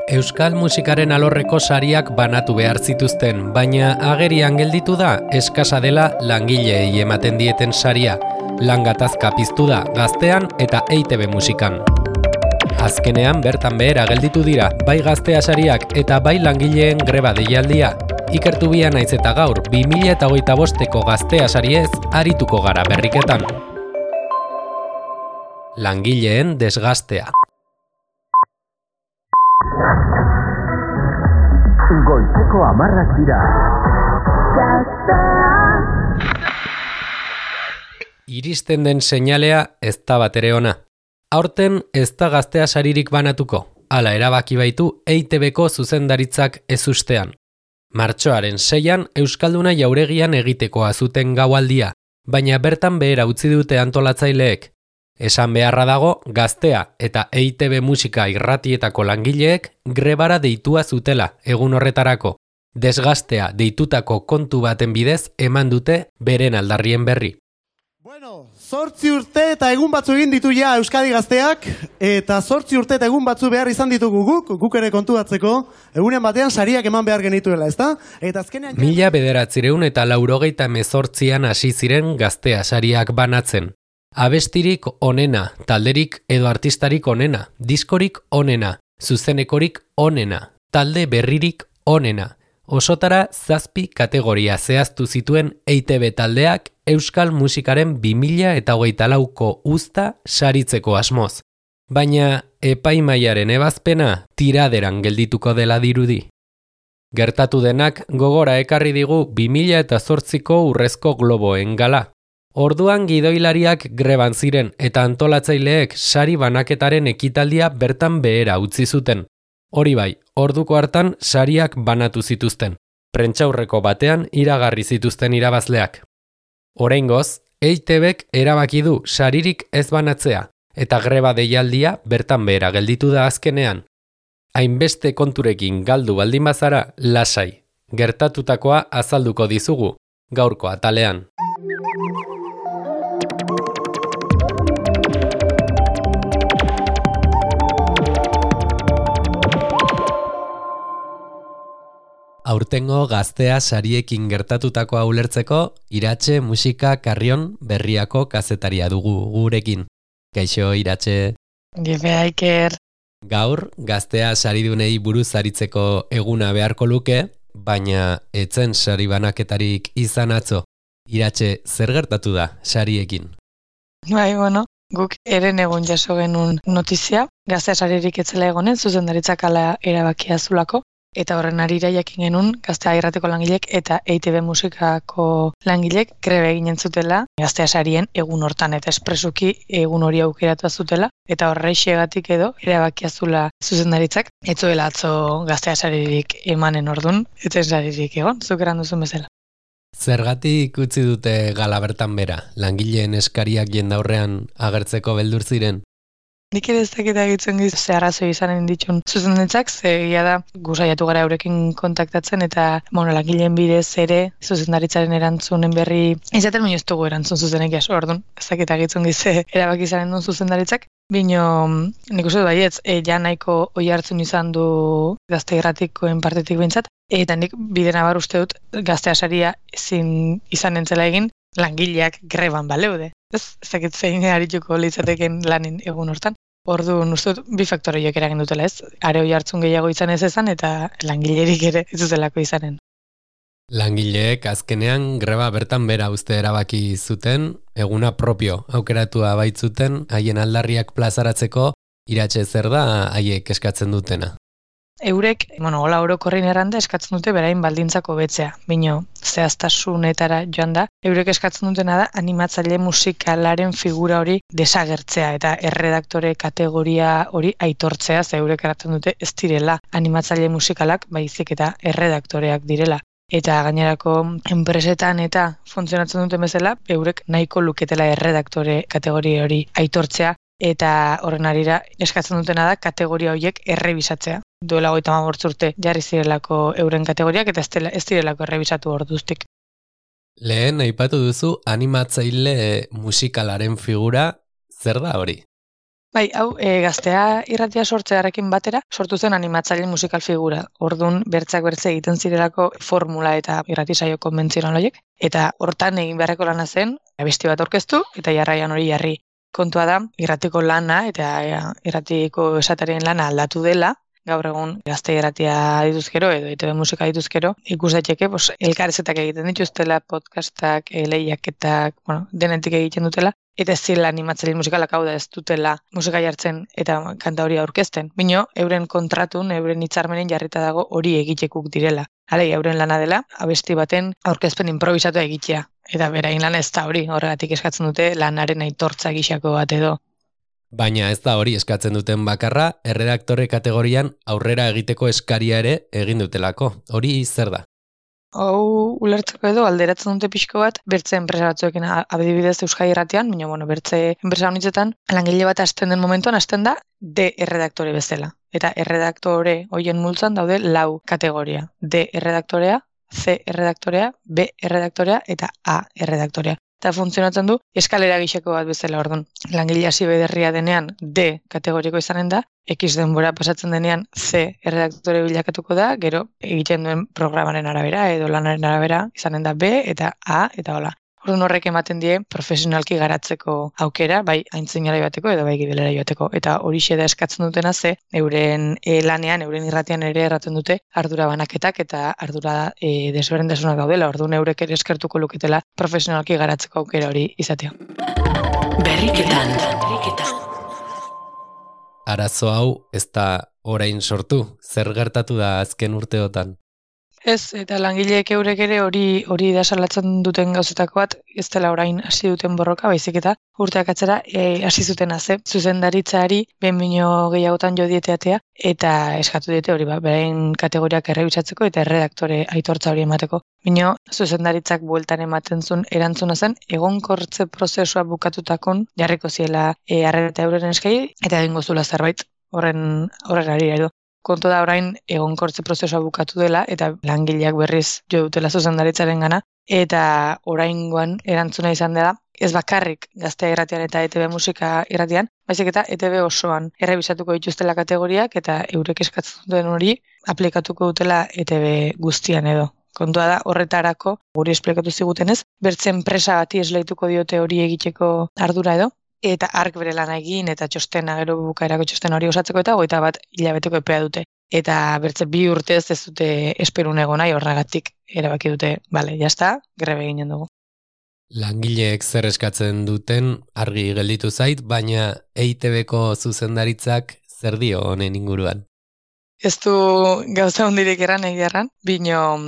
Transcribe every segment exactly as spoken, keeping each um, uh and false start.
Euskal musikaren alorreko sariak banatu behar zituzten, baina agerian gelditu da eskasa dela langileei ematen dieten saria. Lan gatazka piztu da Gaztean eta E I Te Be musikan. Azkenean bertan behera gelditu dira bai Gaztea sariak eta bai langileen greba deialdia. Ikertu bia naiz eta gaur bi mila hogeita bosteko Gaztea sariez arituko gara berriketan. Langileen desgaztea. Goizeko hamarrak dira. Iristen den seinalea ez da batere ona. Aurten ez da Gaztea saririk banatuko, hala erabaki baitu E I Te Beko zuzendaritzak ezustean. Martxoaren seian Euskalduna jauregian egitekoa zuten gaualdia, baina bertan behera utzi dute antolatzaileek. Esan beharra dago, Gaztea eta E I Te Be musika irratietako langileek grebara deitua zutela egun horretarako. Desgaztea deitutako kontu baten bidez eman dute beren aldarrien berri. Bueno, zortzi urte eta egun batzu egin ditu ja Euskadi Gazteak, eta zortzi urte eta egun batzu behar izan ditugu guk, guk ere kontuatzeko, egunen batean sariak eman behar genituela, ezta? Eta azkenean... Mila bederatzireun eta laurogeita hemezortzian hasi ziren Gaztea sariak banatzen. Abestirik onena, talderik edo artistarik onena, diskorik onena, zuzenekorik onena, talde berririk onena. Osotara zazpi kategoria zehaztu zituen E I Te Be taldeak Euskal musikaren bi mila hogeita lauko uzta saritzeko asmoz. Baina epaimaiaren ebazpena tiraderan geldituko dela dirudi. Gertatu denak gogora ekarri digu bi mila zortziko Urrezko Globoen gala. Orduan gidoilariak greban ziren eta antolatzaileek sari banaketaren ekitaldia bertan behera utzi zuten. Hori bai, orduko hartan sariak banatu zituzten. Prentsaurreko batean iragarri zituzten irabazleak. Oraingoz, E I Te Bek erabaki du saririk ez banatzea eta greba deialdia bertan behera gelditu da azkenean. Hainbeste konturekin galdu baldin bazara, lasai. Gertatutakoa azalduko dizugu, gaurko atalean. Aurtengo Gaztea sariekin gertatutakoa ulertzeko, Iratxe Musika Karrion Berriako kazetaria dugu gurekin. Kaixo, Iratxe. Gefe Aiker. Gaur, Gaztea saridunei buruz aritzeko eguna beharko luke, baina etzen sari banaketarik izan atzo. Iratxe, zer gertatu da sariekin? Bai, bueno, guk eren egun jaso genuen notizia, Gaztea saririk etzela egonen, zuzendaritzak ala erabakia zulako. Eta horren arira jakin genuen Gaztea irrateko langilek eta E I Te Be musikako langilek grebe eginen zutela Gaztea sarien egun hortan eta espresuki egun hori aukeratu zutela eta horreixegatik edo erabakia zula zuzendaritzak etzuela atzo Gaztea saririk emanen ordun eta saririk egon, zuk eran duzun bezala. Zergatik utzi dute gala bertan bera, langileen eskariak jendaurrean agertzeko beldur ziren? Nik ere ez dakit agitzen giz ze arrazoi izanen ditun zuzendaritzak, ze egia da gusaiatu gara eurekin kontaktatzen eta bueno, langileen bidez ere zuzendaritzaren erantzunen berri izaten baino ez dugu erantzun zuzenek jaso, orduan ez dakit agitzen giz erabaki izanen duen zuzendaritzak. Bino, nik uste du baietz, e, ja nahiko oi hartzun izan du Gazte irratikoen partetik behintzat, eta nik bide nabar uste dut Gaztea saria ezin izan entzela egin langileak greban baleude. Ez, ez dakit zein arituko litzateken lanin egun hortan. Orduan uste dut bi faktoreiek eragin dutela ez, are oi hartzun gehiago izan ez ezan eta langilerik ere ez zuzelako izanen. Langileek azkenean greba bertan bera uste erabaki zuten, eguna propio aukeratua baitzuten, haien aldarriak plazaratzeko, Iratxe zer da haiek eskatzen dutena. Eurek, bueno, hola orokorrin erranda eskatzen dute berain baldintzako betzea, bino zehaztasunetara joan da, eurek eskatzen dutena da animatzaile musikalaren figura hori desagertzea eta erredaktore kategoria hori aitortzea, ze eurek eratzen dute ez direla animatzaile musikalak, baizik eta erredaktoreak direla. Eta gainerako enpresetan eta funtzionatzen duten bezala, eurek nahiko luketela erredaktore kategoria hori aitortzea, eta horren arira eskatzen dutena da kategoria horiek errebisatzea. Duela hogeita hamabost urte jarri zirelako euren kategoriak eta ez direlako errebisatu orduztik. Lehen aipatu duzu animatzaile musikalaren figura, zer da hori? Bai, hau, e, gaztea irratia sortzearekin batera, sortu zen animatzaile musikal figura. Ordun bertzak bertze egiten zirelako formula eta irrati saio konbentzional horiek. Eta hortan egin beharreko lana zen, abesti bat aurkeztu eta jarraian hori jarri. Kontua da, irratiko lana eta irratiko esatarien lana aldatu dela, gaur egun gazte irratia dituzkero edo E T B musika dituzkero, ikus daiteke, pues, elkarrezetak egiten dituztela, podcastak, lehiaketak, bueno, denetik egiten dutela, eta ez zirela animatzaile musikalak, hau da ez dutela musika jartzen eta kanta hori aurkezten. Bino, euren kontratun, euren hitzarmenen jarrita dago hori egitekuk direla. Halei, euren lana dela, abesti baten aurkezpen improvisatu egitea. Eta berain lana ez da hori, horregatik eskatzen dute lanaren aitortza gixako bat edo. Baina ez da hori eskatzen duten bakarra, erredaktore kategorian aurrera egiteko eskaria ere egin dutelako. Hori zer da? Hau ulertzeko edo alderatzen dute pixko bat, bertze enpresa batzuekin adibidez Euskadi Irratian, baina bueno, bertze enpresa honitzetan, langile bat hasten den momentuan hasten da D erredaktore bezala. Eta erredaktore hoien multzan daude lau kategoria. D erredaktorea, C erredaktorea, B erredaktorea eta A erredaktorea. Eta funtzionatzen du eskalera gixeko bat bezala, ordun. Langile hasi bederria denean D kategoriko izanen da, X denbora pasatzen denean C erredaktore bilakatuko da, gero egiten duen programaren arabera edo lanaren arabera izanen da B eta A eta hola. Orduan horrek ematen die profesionalki garatzeko aukera, bai aintzinara joateko edo bai gibelera joateko. Eta horixe da eskatzen dutena ze, euren e, lanean, euren irratian ere erraten dute ardura banaketak eta ardura e, desberdintasunak daudela. Orduan eurek ere eskertuko luketela profesionalki garatzeko aukera hori izatea. Berriketan. Arazo hau ez da orain sortu, zer gertatu da azken urteotan? Ez, eta langileek eurek ere hori hori da salatzen duten gauzetako bat, ez dela orain hasi duten borroka, baizik eta urteak atzera e, hasi zuten haze. Zuzendaritzari behin bino gehiagotan jo dieteatea eta eskatu diete hori ba, berain kategoriak errebisatzeko eta erredaktore aitortza hori emateko. Bino, zuzendaritzak bueltan ematen zuen erantzuna zen, egonkortze prozesua bukatutakon jarriko ziela e, arreta euren eskai eta egingo zula zerbait horren horregari edo. Kontu da orain egonkortze prozesua bukatu dela eta langileak berriz jo dutela zuzendaritzaren gana eta oraingoan erantzuna izan dela ez bakarrik Gaztea Irratian eta E T B musika irratian, baizik eta E T B osoan errebisatuko dituztela kategoriak eta eurek eskatzen duten hori aplikatuko dutela E T B guztian edo. Kontua da horretarako guri esplikatu zigutenez, bertze enpresa bati esleituko diote hori egiteko ardura edo. Eta ark bere lana egin eta txostena gero bukaerako txostena hori osatzeko eta hogeita bat hilabeteko epea dute. Eta bertze bi urtez ez dute esperun egon nahi horregatik erabaki dute, bale, jazta, grebe eginen dugu. Langileek zer eskatzen duten argi gelditu zait, baina E I T Bko zuzendaritzak zer dio honen inguruan? Ez du gauza hondirik erran egiarran, bino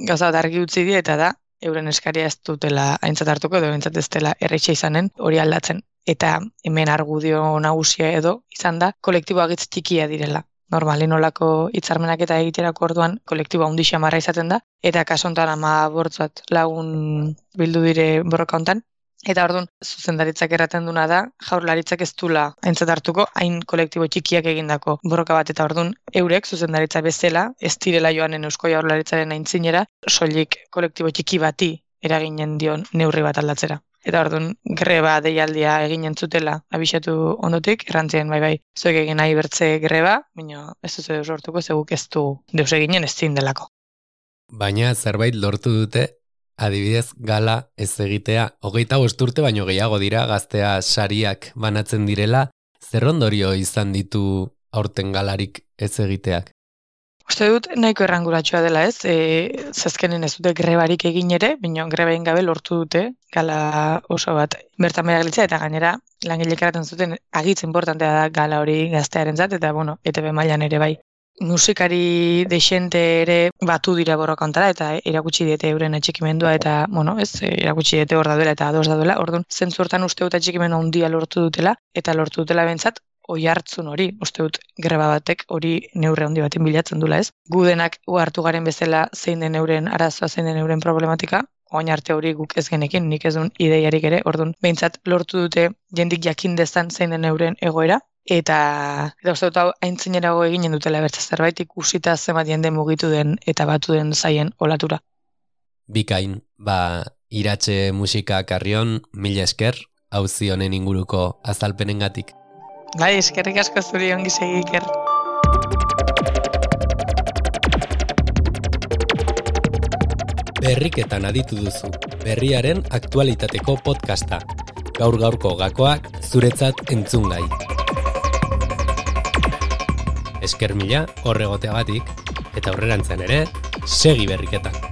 gauza bat argi utzi die eta da, euren eskaria ez dutela aintzat hartuko edo aintzat ez dela erretxe izanen hori aldatzen. Eta hemen argudio nagusia edo izan da kolektiboa gitz txikia direla. Normalin olako hitzarmenak eta egiterako orduan kolektiboa hundixa marra izaten da, eta kaso honetan ama bortzat lagun bildu dire borroka hontan. Eta orduan zuzendaritzak erraten duna da, jaurlaritzak ez dula aintzat hartuko, hain kolektibo txikiak egindako borroka bat, eta orduan eurek zuzendaritza bezala, ez direla joanen Eusko Jaurlaritzaren aintzinera, soilik kolektibo txiki bati eraginen dion neurri bat aldatzera. Eta orduan greba deialdia egin entzutela abisatu ondotik, errantzien bai bai, zuek egin nahi bertze greba, baina ez duzu deus lortuko, zeguk ez du deus eginen ez zindelako. Baina zerbait lortu dute, adibidez gala ez egitea, hogeita bost urte baino gehiago dira Gaztea sariak banatzen direla, zer ondorio izan ditu aurten galarik ez egiteak? Uste dut nahiko erranguratsua dela ez, e, zazkenen ez dute grebarik egin ere, baina greba egin gabe lortu dute, gala oso bat bertan behar gelitzea, eta gainera langilek eraten zuten agitz importantea da gala hori gaztearentzat, eta bueno, E T B mailan ere bai. Musikari dexente ere batu dira borroka hontara, eta erakutsi diete euren atxikimendua, eta bueno, ez, erakutsi diete hor daudela eta ados daudela, orduan zentzu hortan uste dut atxikimendu handia lortu dutela, eta lortu dutela bentsat, oi hartzun hori, uste dut greba batek hori neurre handi baten bilatzen dula ez. Gu denak hartu garen bezala zein den euren arazoa, zein den euren problematika, oin arte hori guk ez genekin, nik ez duen ideiarik ere, orduan behintzat lortu dute jendik jakin dezan zein den euren egoera, eta eta uste dut hau aintzinerago eginen dutela bertza zerbait ikusita zenbat jende mugitu den eta batu den zaien olatura. Bikain, ba, Iratxe Musika Karrion, mila esker, auzi honen inguruko azalpenengatik. Bai, eskerrik asko zuri ongi segi, Iker. Berriketan aditu duzu, berriaren aktualitateko podcasta. Gaur gaurko gakoak zuretzat entzungai. Esker mila horregoteagatik, eta aurrerantzen ere, segi berriketan.